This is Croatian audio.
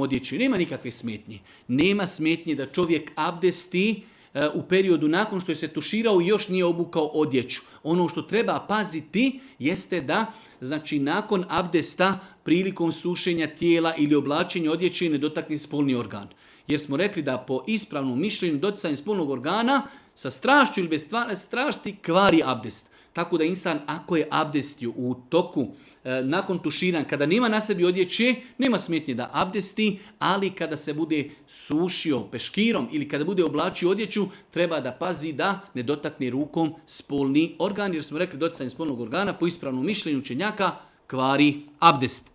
odjeći. Nema nikakve smetnje. Nema smetnje da čovjek abdesti u periodu nakon što je se tuširao i još nije obukao odjeću. Ono što treba paziti jeste da, znači, nakon abdesta prilikom sušenja tijela ili oblačenja odjeće ne dotakne spolni organ. Jer smo rekli da po ispravnom mišljenju doticanje spolnog organa sa strašću ili bez strasti kvari abdest. Tako da insan ako je abdestio u toku nakon tuširanja, kada nema na sebi odjeće, nema smetnje da abdesti, ali kada se bude sušio peškirom ili kada bude oblačio odjeću, treba da pazi da ne dotakne rukom spolni organ, jer smo rekli doticanje spolnog organa po ispravnom mišljenju učenjaka kvari abdest.